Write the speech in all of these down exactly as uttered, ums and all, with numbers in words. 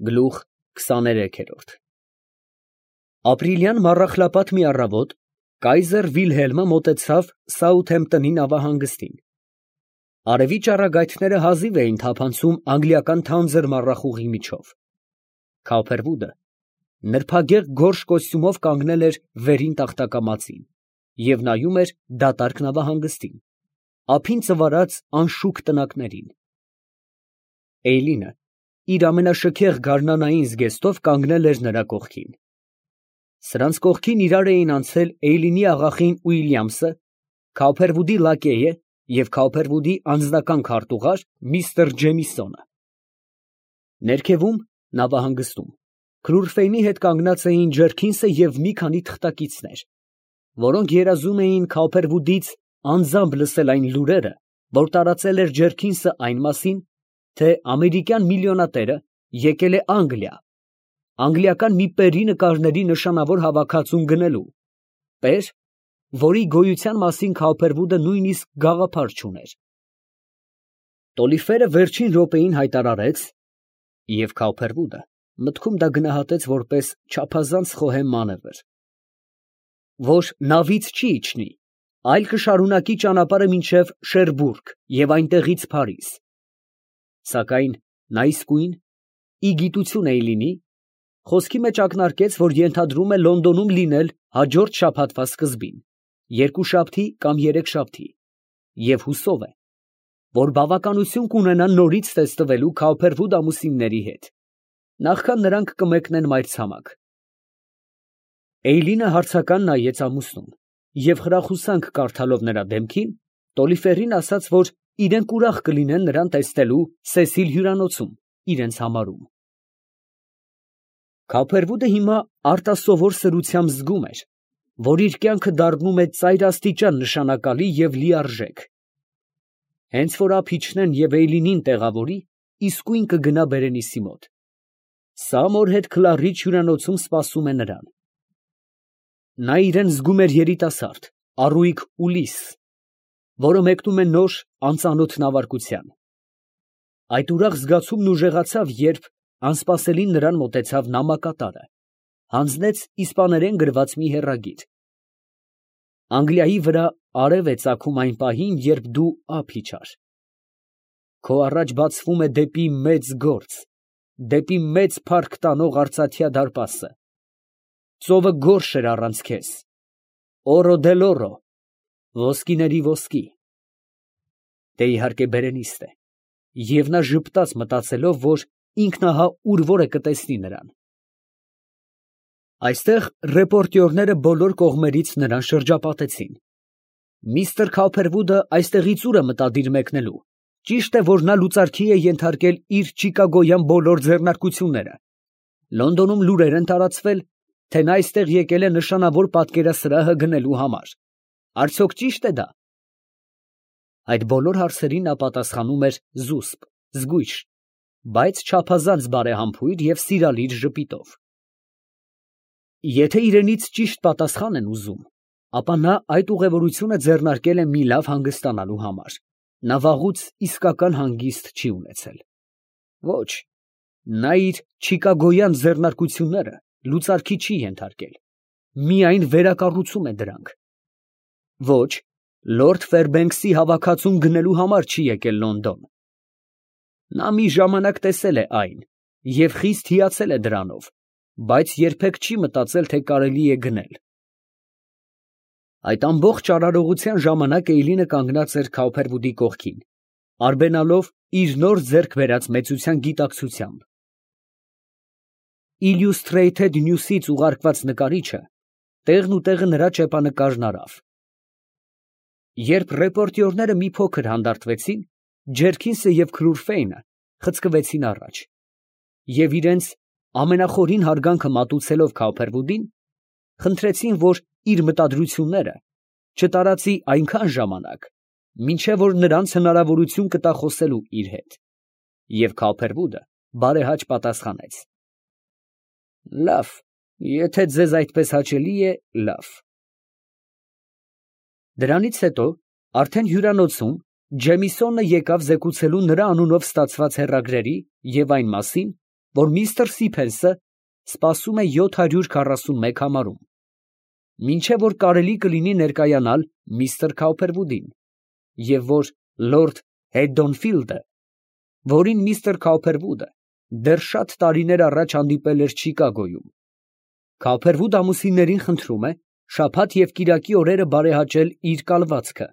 Գլուխ քսաներեք։ Ապրիլյան մառախլապատ մի առավոտ կայզեր Վիլհելմը մոտեցավ Սաութհեմպտոնի նավահանգստին։ Արևի ճառագայթները հազիվ էին թափանցում անգլիական թանձր մառախուղի միջով։ Քոուփերվուդը նրբագեղ գորշ կոստյումով կանգնել էր վերին տախտակամածին և նայում էր դատարկ նավահանգստին, ափին ծվարած անշուք տնակներին։ Էյլինը իր ամենաշքեղ գարնանային զգեստով կանգնել էր նրա կողքին։ Սրանց կողքին իրար էին անցել Էյլինի աղախին Ուիլյամսը, Քոուփերվուդի լակեյը և Քոուփերվուդի անձնական քարտուղար միստր Ջեմիսոնը։ Ներքևում, նավահանգստում, Քրուրֆեյնի հետ կանգնած էին Ջերքինսը և մի քանի թղթակիցներ, որոնք երազում էին Քոուփերվուդից անձամբ լսել այն լուրերը, որ տարածել էր Ջերքինսը այն մասին, թե ամերիկյան միլիոնատերը եկել է Անգլիա, անգլիական մի պերի նկարների նշանավոր հավաքածուն գնելու, պեր, որի գոյության մասին Քոուփերվուդը նույնիսկ գաղափար չուներ։ Տոլիֆերը վերջին րոպեին հայտարարեց, և Քոուփերվուդը մտքում դա գնահատեց որպես չափազանց խոհեմ մանևր, որ նավից չի իջնի, այլ կշարունակի ճանապարհը մինչև Շերբուրգ և այնտեղից Փարիզ, սակայն նա իսկույն, ի գիտություն Էյլինի, խոսքի մեջ ակնարկեց, որ ենթադրում է Լոնդոնում լինել հաջորդ շաբաթվա սկզբին, երկուշաբթի կամ երեքշաբթի, և հուսով է, որ բավականություն կունենա նորից տեսնվելու Քոուփերվուդ ամուսինների հետ, նախքան նրանք կմեկնեն մայրցամաք։ Էյլինը հարցական նայեց ամուսնուն և խրախուսանք կարդալով նրա դեմքին, Տոլիֆերին ասաց, որ իրենք ուրախ կլինեն նրան տեսնելու Սեսիլ հյուրանոցում, իրենց համարում։ Քոուփերվուդը հիմա արտասովոր սրությամբ զգում էր, որ իր կյանքը դառնում է ծայրաստիճան նշանակալի և լիարժեք։ Հենց որ ափ իջնեն և Էյլինին տեղավորի, իսկույն կգնա Բերենիսի մոտ։ Սամոր հետ Քլարիչ հյուրանոցում սպասում է նրան։ Նա իրան զգում էր երիտասարդ, առույգ Ուլիս, որը մեկնում է նոր, անծանոթ նավարկության։ Այդ ուրախ զգացումն ուժեղացավ, երբ անսպասելին նրան մոտեցավ նամակատարը, հանձնեց իսպաներեն գրված մի հեռագիր։ Անգլիայի վրա արև է ծագում այն պահին, երբ դու ափ իջար։ Քո առաջ բացվում է դեպի մեծ գործ, դեպի մեծ փառք տանող արծաթյա դարպասը։ Ծովը գորշ էր առանց քեզ, օռո դել օռո, ոսկիների ոսկի։ Դե իհարկե Բերենիստ է, և նա ժպտաց մտածելով, որ ինքն ահա ուր որ է կտեսնի նրան։ Այստեղ ռեպորտյորները բոլոր կողմերից նրան շրջապատեցին։ Միստր Քոուփերվուդը այստեղից ուր է մտադիր մեկնելու։ Ճիշտ է, որ նա լուծարքի է ենթարկել իր չիկագոյան բոլոր ձեռնարկությունները։ Լոնդոնում լուրեր են տարածվել, թե նա այստեղ եկել է նշանավոր պատկերասրահը գնելու համար։ Արդյոք ճի՞շտ է դա։ Այդ բոլոր հարցերին նա պատասխանում էր զուսպ, զգույշ, բայց չափազանց բարեհամբույր և սիրալիր ժպիտով։ Եթե իրենից ճիշտ պատասխան են ուզում, ապա նա այդ ուղևորությունը ձեռնարկել է մի լավ հանգստանալու համար։ Նա վաղուց իսկական հանգիստ չի ունեցել։ Ոչ, նա իր չիկագոյան ձեռնարկությունները լուծարքի չի ենթարկել, միայն վերակառուցում է դրանք։ Ոչ, լորդ Ֆերբենքսի հավաքածուն գնելու համար չի եկել Լոնդոն։ Նա մի ժամանակ տեսել է այն և խիստ հիացել է դրանով, բայց երբեք չի մտածել, թե կարելի է գնել։ Այդ ամբողջ արարողության ժամանակ Էյլինը կանգնած էր Քոուփերվուդի կողքին, արբենալով իր նոր ձեռք բերած մեծության գիտակցությամբ։ Illustrated News-ից ուղարկված նկարիչը տեղն ու տեղը նրա ճեպանկարն արավ։ Երբ ռեպորտյորները մի փոքր հանդարտվեցին, Ջերքինսը և Քրուրֆեյնը խցկվեցին առաջ, և իրենց ամենախորին հարգանքը մատուցելով Քոուփերվուդին, խնդրեցին, որ իր մտադրությունները չտարածի այնքան ժամանակ, մինչև որ նրանց հնարավորություն կտա խոսելու իր հետ, և Քոուփերվուդը բարեհաճ պատասխանեց. Լավ, եթե ձեզ այդպես հաճելի է, լավ։ Դրանից հետո, արդեն հյուրանոցում, Ջեմիսոնը եկավ զեկուցելու նրա անունով ստացված հեռագրերի և այն մասին, որ միստր Սիփենսը սպասում է յոթ հարյուր քառասուն մեկ համարում, մինչև որ կարելի կլինի ներկայանալ միստր Քաուփերվուդին, և որ լորդ Հեդոնֆիլդը, որին միստր Քաուփերվուդը դեռ շատ տարիներ առաջ հանդիպել էր Չիկագոյում, Քաուփերվուդ ամուսիններին խնդրում է շաբաթ և կիրակի օրերը բարեհաճել իր կալվածքը,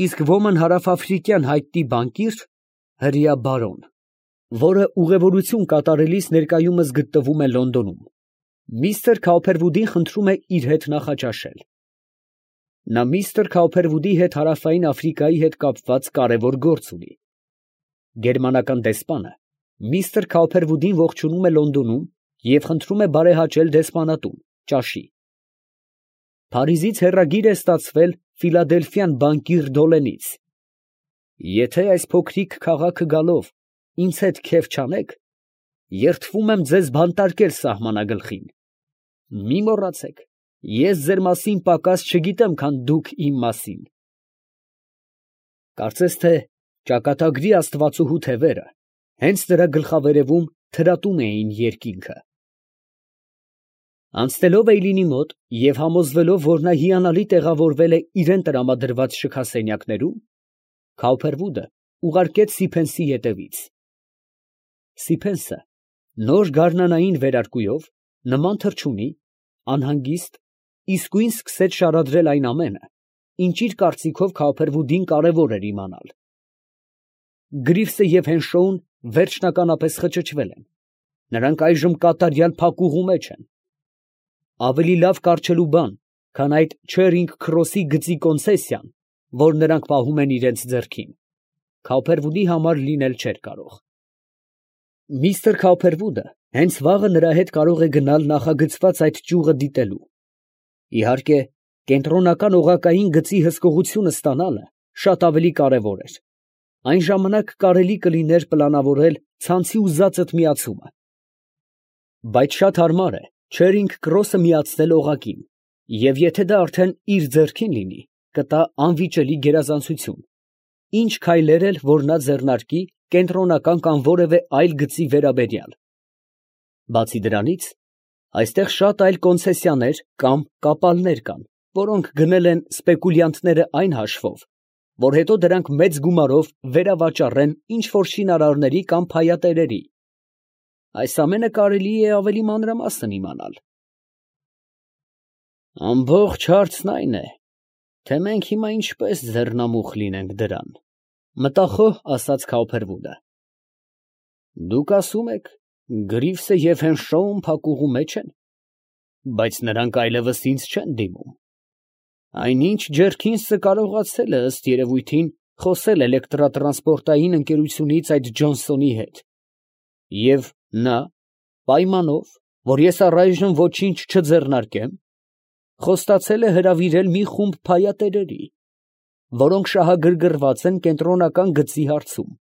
իսկ ոմն հարավաֆրիկյան հայտնի բանկիր, հրեա բարոն, որը ուղևորություն կատարելիս ներկայումս գտնվում է Լոնդոնում, միստր Քաուփերվուդին խնդրում է իր հետ նախաճաշել։ Նա միստր Քաուփերվուդի հետ հարավային Աֆրիկայի հետ կապված կարևոր գործ ունի։ Գերմանական դեսպանը միստր Քաուփերվուդին ողջունում է Լոնդոնում և խնդրում է բարեհաճել դեսպանատուն, ճաշի։ Փարիզից հեռագիր է ստացվել Ֆիլադելֆյան բանկիր Դոլենից. «Եթե այս փոքրիկ քաղաքը գալով ինձ հետ քեֆ չանեք, երդվում եմ ձեզ բանտարկել սահմանագլխին։ Մի մոռացեք, ես ձեր մասին պակաս չգիտեմ, քան դուք իմ մասին»։ Կարծես թե ճակատագրի աստվածուհու թևերը հենց նրա գլխավերևում թրատում էին երկինքը։ Անցնելով Էյլինի մոտ և համոզվելով, որ նա հիանալի տեղավորվել է իրան տրամադրված շքասենյակներում, Քաուփերվուդը ուղարկեց Սիփենսի ետևից։ Սիփենսը նոր գարնանային վերարկուով, նման թռչունի, անհանգիստ, իսկույն սկսեց շարադրել այն ամենը, ինչ իր կարծիքով Քաուփերվուդին կարևոր էր իմանալ։ Գրիվսը և Հենշոուն վերջնականապես խճճվել են, նրանք այժմ կատարյալ փակուղու մեջ են։ Ավելի լավ կառչելու բան, քան այդ Չերինգ Քրոսի գծի կոնցեսիան, որ նրանք պահում են իրենց ձեռքին, Քաուփերվուդի համար լինել չէր կարող։ Միստր Քաուփերվուդը հենց վաղը նրա հետ կարող է գնալ նախագծված այդ ճյուղը դիտելու։ Իհարկե, կենտրոնական օղակային գծի հսկողությունը ստանալը շատ ավելի կարևոր էր։ Այն ժամանակ կարելի կլիներ պլանավորել ցանցի ուզածդ միացումը։ Բայց շատ հարմար է Չերինգ Քրոսը միացնել օղակին, և եթե դա արդեն իր ձեռքին լինի, կտա անվիճելի գերազանցություն, ինչ քայլեր էլ որ նա ձեռնարկի կենտրոնական կամ որևէ այլ գծի վերաբերյալ։ Բացի դրանից, այստեղ շատ այլ կոնցեսիաներ կամ կապալներ կան, որոնք գնել են սպեկուլյանտները այն հաշվով, որ հետո դրանք մեծ գումարով վերավաճառեն ինչ֊որ շինարարների կամ փայատերերի։ Այս ամենը կարելի է ավելի մանրամասն իմանալ։ Ամբողջ հարցն այն է, թե մենք հիմա ինչպես ձեռնամուխ լինենք դրան, մտախոհ ասաց Քաուփերվուդը։ Դուք ասում եք, Գրիվսը և Հենշոուն փակուղու մեջ են, բայց նրանք այլևս ինձ չեն դիմում։ Այնինչ Ջերքինսը կարողացել է ըստ երևույթին խոսել էլեկտրատրանսպորտային ընկերությունից այդ Ջոնսոնի հետ, և նա, պայմանով, որ ես առայժմ ոչինչ չձեռնարկեմ, խոստացել է հրավիրել մի խումբ փայատերերի, որոնք շահագրգռված են կենտրոնական գծի հարցում։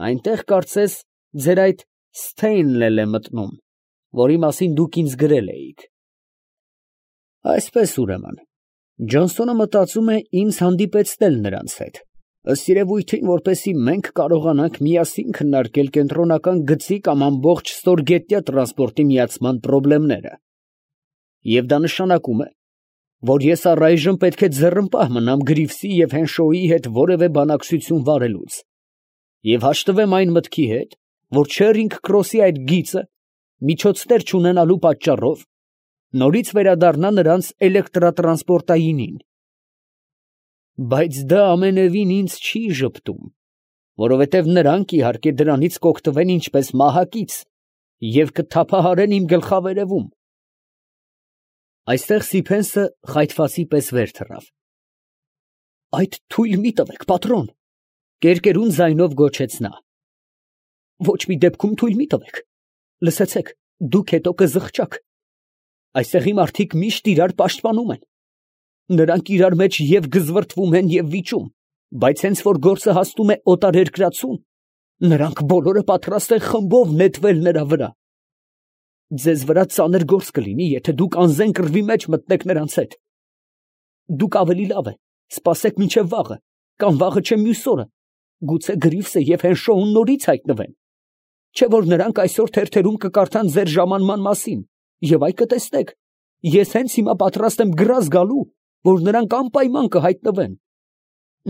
Այնտեղ, կարծես, ձեր այդ Սթեյնն էլ է մտնում, որի մասին դուք ինձ գրել էիք։ Այսպես, ուրեմն, Ջոնսոնը մտածում է ինձ հանդիպեցնել նրանց հետ, ըստ երևույթին, որպեսզի մենք կարողանանք միասին քննարկել կենտրոնական գծի կամ ամբողջ ստորգետնյա տրանսպորտի միացման խնդիրները։ Եվ դա նշանակում է, որ ես առայժմ պետք է ձեռնպահ մնամ Գրիվսի և Հենշոուի հետ որևէ բանակցություն վարելուց, և հաշտվեմ այն մտքի հետ, որ Չերինգ Քրոսի այդ գիծը, միջոցներ չունենալու պատճառով, նորից վերադառնա նրանց էլեկտրատրանսպորտայինին։ Բայց դա ամենևին ինձ չի ժպտում, որովհետև նրանք, իհարկե, դրանից կօգտվեն ինչպես մահակից և կթափահարեն իմ գլխավերևում։ Այստեղ Սիփենսը խայթվածի պես վեր թռավ։ Այդ թույլ մի տվեք, պատրոն, կերկերուն ձայնով գոչեց նա։ Ոչ մի դեպքում թույլ մի տվեք, լսեցեք, դուք հետո կզղջաք։ Այստեղի մարդիկ միշտ իրար պաշտպանում են։ Նրանք իրար մեջ և գզվրտվում են և վիճում, բայց հենց որ գործը հասնում է օտարերկրացուն, նրանք բոլորը պատրաստ են խմբով նետվել նրա վրա։ Ձեզ վրա ծանր գործ կլինի, եթե դուք անզեն կռվի մեջ մտնեք նրանց հետ։ Դուք ավելի լավ է, սպասեք մինչև վաղը, կամ վաղը չէ մյուս օրը, գուցե Գրիվսը և Հենշոուն նորից հայտնվեն։ չէ՞ որ նրանք այսօր թերթերում կկարդան ձեր ժամանման մասին, և այ կտեսնեք, ես հենց հիմա պատրաստ եմ գրազ գալու, որ նրանք անպայման կհայտնվեն.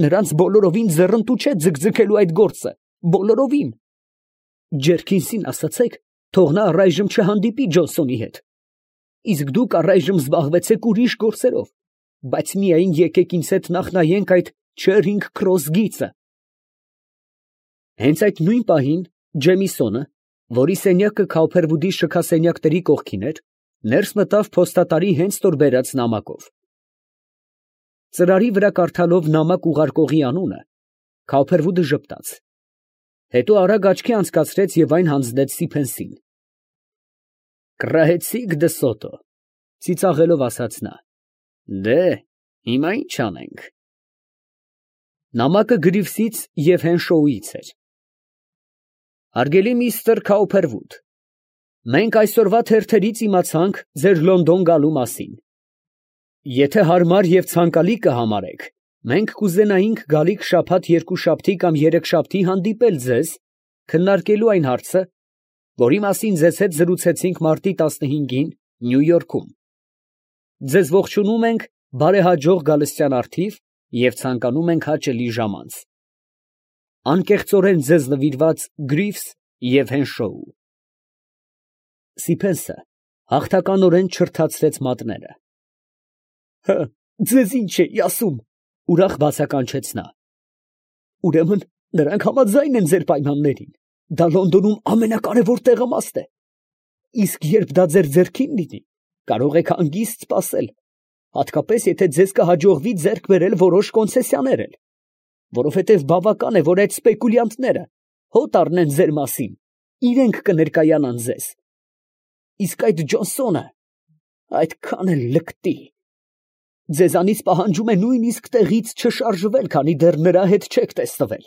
նրանց բոլորովին ձեռնտու չէ ձգձգելու այդ գործը, բոլորովին. Ջերքինսին ասացեք, թող նա առայժմ չհանդիպի Ջոնսոնի հետ, իսկ դուք առայժմ զբաղվեցեք ուրիշ գործերով, բայց միայն եկեք ինձ հետ նախ նայենք այդ Չերինգ Քրոս գիծը։ Հենց այդ նույն պահին Ջեմիսոնը, որի սենյակը Քաուփերվուդի շքասենյակների կողքին էր, ներս մտավ փոստատարի հենց որ բերած նամակով։ Ծրարի վրա կարդալով նամակ ուղարկողի անունը, Քաուփերվուդը ժպտաց, հետո արագ աչքի անցկացրեց և այն հանձնեց Սիփենսին։ «Կռահեցի՞ք դսոտո», ծիծաղելով ասաց նա։ «Դե, հիմա ի՞նչ անենք»։ Նամակը Գրիվսից և Հենշոուից էր։ Հարգելի միստր Քաուփերվուդ, մենք այսօրվա թերթերից իմացանք ձեր Լոնդոն գալու մասին։ Եթե հարմար և ցանկալի կհամարեք, մենք կուզենայինք գալիք շաբաթ-երկուշաբթի կամ երեքշաբթի հանդիպել ձեզ, քննարկելու այն հարցը, որի մասին ձեզ հետ զրուցեցինք մարտի տասնհինգին Նյու Յորքում։ Ձեզ ողջունում ենք բարեհաջող գալստյան առթիվ և ցանկանում ենք հաճելի ժամանց։ Անկեղծորեն ձեզ նվիրված Գրիվս և Հենշոու։ Սիփենսը հաղթականորեն չրթացրեց մատները։ Հը, ձեզ ինչ էի ասում, ուրախ բացականչեց նա։ Ուրեմն նրանք համաձայն են ձեր պայմաններին, դա Լոնդոնում ամենակարևոր տեղամաստ է։ Իսկ երբ դա ձեր ձեռքին լինի, կարող եք հանգիստ սպասել, հատկապես եթե ձեզ կհաջողվի ձեռք բերել որոշ կոնցեսիաներ էլ, որովհետև բավական է, որ այդ սպեկուլյանտները հոտ առնեն ձեր մասին, իրենք կներկայանան ձեզ։ Իսկ այդ Ջոնսոնը այդքան էլ լկտի։ Ձեզանից պահանջում է նույնիսկ տեղից չշարժվել, քանի դեռ նրա հետ չեք տեսնվել։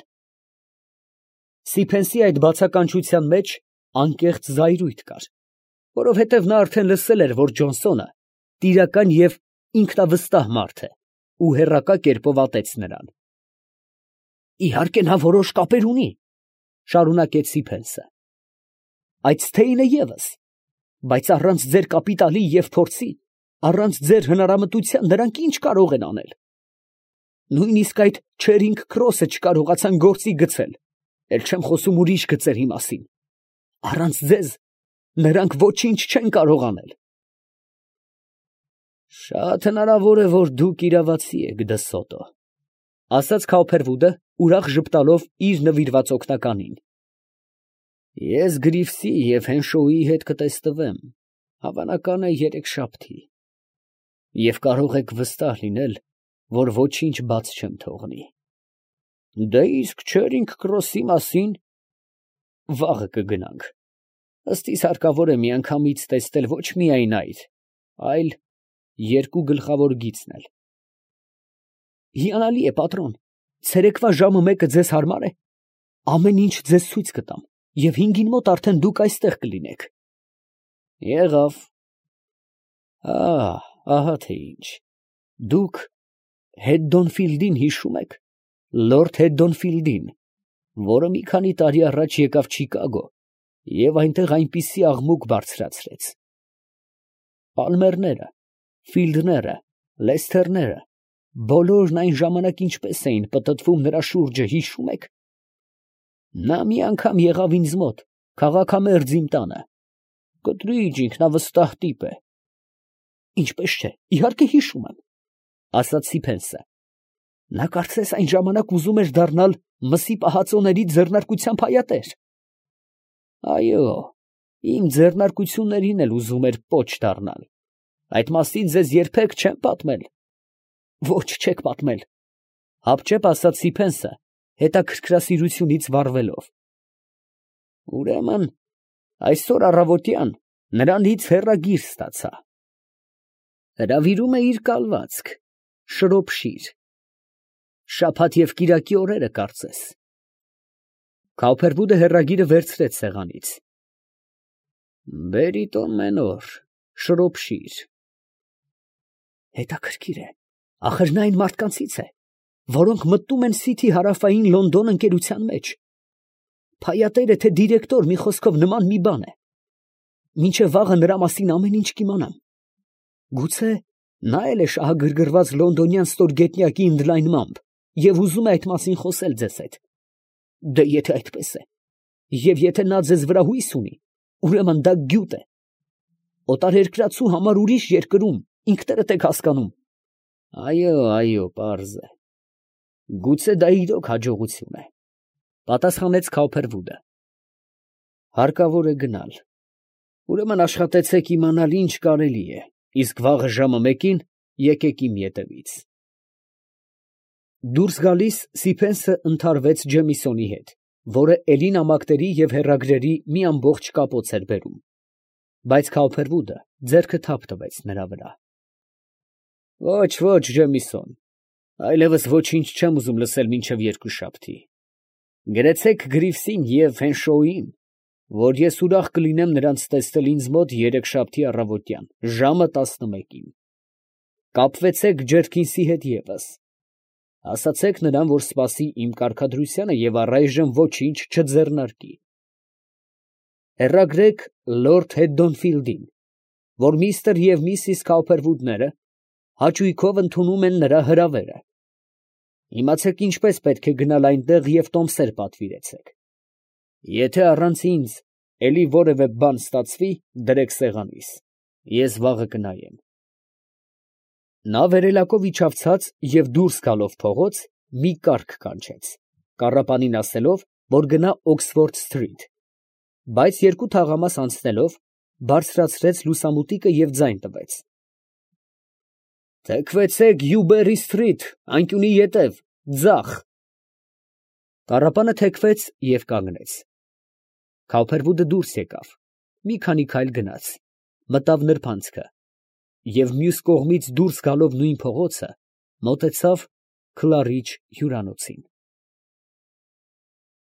Սիփենսի այդ բացականչության մեջ անկեղծ զայրույթ կար, որովհետև նա արդեն լսել էր, որ Ջոնսոնը տիրական և ինքնավստահ մարդ է ու հեռակա կերպով ատեց նրան։ Իհարկե նա որոշ կապեր ունի, շարունակեց Սիփենսը, այդ Սթեյնը ևս, բայց առանց ձեր կապիտալի և փորձի, առանց ձեր հնարամտության նրանք ինչ կարող են անել։ Նույնիսկ այդ Չերինգ Քրոսը չկարողացան գործի գցել, էլ չեմ խոսում ուրիշ գծերի մասին։ Առանց ձեզ նրանք ոչինչ չեն կարող անել։ Շատ հնարավոր է, որ դուք իրավացի եք, դսոտո, ասաց Քաուփերվուդը, ուրախ ժպտալով իր նվիրված օգնականին։ Ես Գրիվսի և Հենշոուի հետ կտեսնվեմ, հավանական է երեքշաբթի, և կարող եք վստահ լինել, որ ոչինչ բաց չեմ թողնի։ Դե իսկ Չերինգ Քրոսի մասին վաղը կգնանք։ Ըստ իս հարկավոր է միանգամից տեսնել ոչ միայն այդ, այլ երկու գլխավոր գիծն էլ։ Հիանալի է, պատրոն, ցերեկվա ժամը մեկը ձեզ հարմար է։ Ամեն ինչ ձեզ ցույց կտամ, և հինգին մոտ արդեն դուք այստեղ կլինեք։ Եղավ։ Ահ, ահա թե ինչ։ Դուք Հետդոնֆիլդին հիշում եք, լորդ Հետդոնֆիլդին, որը մի քանի տարի առաջ եկավ Չիկագո և այնտեղ այնպիսի աղմուկ բարձրացրեց։ Պալմերները, Ֆիլդները, Լեսթերները, բոլորն այն ժամանակ ինչպես էին պտտվում նրա շուրջը, հիշում եք։ Նա մի անգամ եղավ ինձ մոտ, քաղաքամերձ իմ տանը։ Կտրիջ ինքնավստահ տիպ է։ Ինչպես չէ, իհարկե հիշում եմ, ասաց Սիփենսը։ Նա կարծես այն ժամանակ ուզում էր դառնալ մսի պահածոների ձեռնարկությամբ հայատեր։ Այո, իմ ձեռնարկություններին էլ ուզում էր պոչ դառնալ։ Այդ մասին ձեզ երբեք չեմ պատմել։ Ոչ, չեք պատմել, հապճեպ ասաց Սիփենսը, հետաքրքրասիրությունից վառվելով։ Ուրեմն այսօր առավոտյան նրանից հեռագիր ստացա։ Հրավիրում է իր կալվածք, Շրոփշիր, շաբաթ և կիրակի օրերը կարծես։ Քաուփերվուդը հեռագիրը վերցրեց սեղանից։ Բերիտոն Մենոր, Շրոփշիր։ Հետաքրքիր է, ախր նա այն մարդկանցից է, որոնք մտնում են Սիթի հարավային Լոնդոն ընկերության մեջ։ փայատերը թե դիրեկտոր, մի խոսքով նման մի բան է։ Մինչև վաղը նրա մասին ամեն ինչ կիմանամ։ Գուցե նա էլ է շահագրգռված լոնդոնյան ստորգետնյակի ընդլայնմամբ և ուզում է այդ մասին խոսել ձեզ հետ։ Դե եթե այդպես է, և եթե նա ձեզ վրա հույս ունի, ուրեմն դա գյուտ է։ Օտարերկրացու համար ուրիշ երկրում, ինքներդ եք հասկանում։ Այո, այո, պարզ է։ Գուցե դա իրոք հաջողություն է, պատասխանեց Քոփերվուդը։ Հարկավոր է գնալ։ Ուրեմն աշխատեցեք իմանալ ինչ կարելի է, իսկ վաղը ժամը մեկին եկեք իմ ետևից։ Դուրս գալիս Սիփենսը ընդհարվեց Ջեմիսոնի հետ, որը էլի նամակների և հեռագրերի մի ամբողջ կապոց էր բերում, բայց Քոփերվուդը ձեռքը թափ տվեց նրա վրա։ Ոչ, ոչ, Ջեմիսոն, այլևս ոչինչ չեմ ուզում լսել մինչև երկուշաբթի։ Գրեցեք Գրիվսին և Հենշոուին, որ ես ուրախ կլինեմ նրանց տեսնել ինձ մոտ երեքշաբթի առավոտյան, ժամը տասնմեկին։ Կապվեցեք Ջերքինսի հետ ևս։ Ասացեք նրան, որ սպասի իմ կարգադրությանը և առայժմ ոչինչ չձեռնարկի։ Հեռագրեք լորդ Հեդդոնֆիլդին, որ միստր և միսիս Քոփերվուդները հաճույքով ընդունում են նրա հրավերը։ Իմացեք ինչպես պետք է գնալ այնտեղ և տոմսեր պատվիրեցեք։ Եթե առանց ինձ էլի որևէ բան ստացվի, դրեք սեղանիս, ես վաղը կնայեմ։ Նա վերելակով իջավ ցած և դուրս գալով փողոց, մի կառք կանչեց, կառապանին ասելով, որ գնա Օքսֆորդ սթրիթ, բայց երկու թաղամաս անցնելով, բարձրացրեց լուսամուտիկը և ձայն տվեց. Թեքվեցեք Յուբերի սթրիթ, անկյունի ետև, ձախ։ Կառապանը թեքվեց և կանգնեց։ Քոփերվուդը դուրս եկավ, մի քանի քայլ գնաց, մտավ նրբանցքը և մյուս կողմից դուրս գալով նույն փողոցը, մոտեցավ Քլարիչ հյուրանոցին։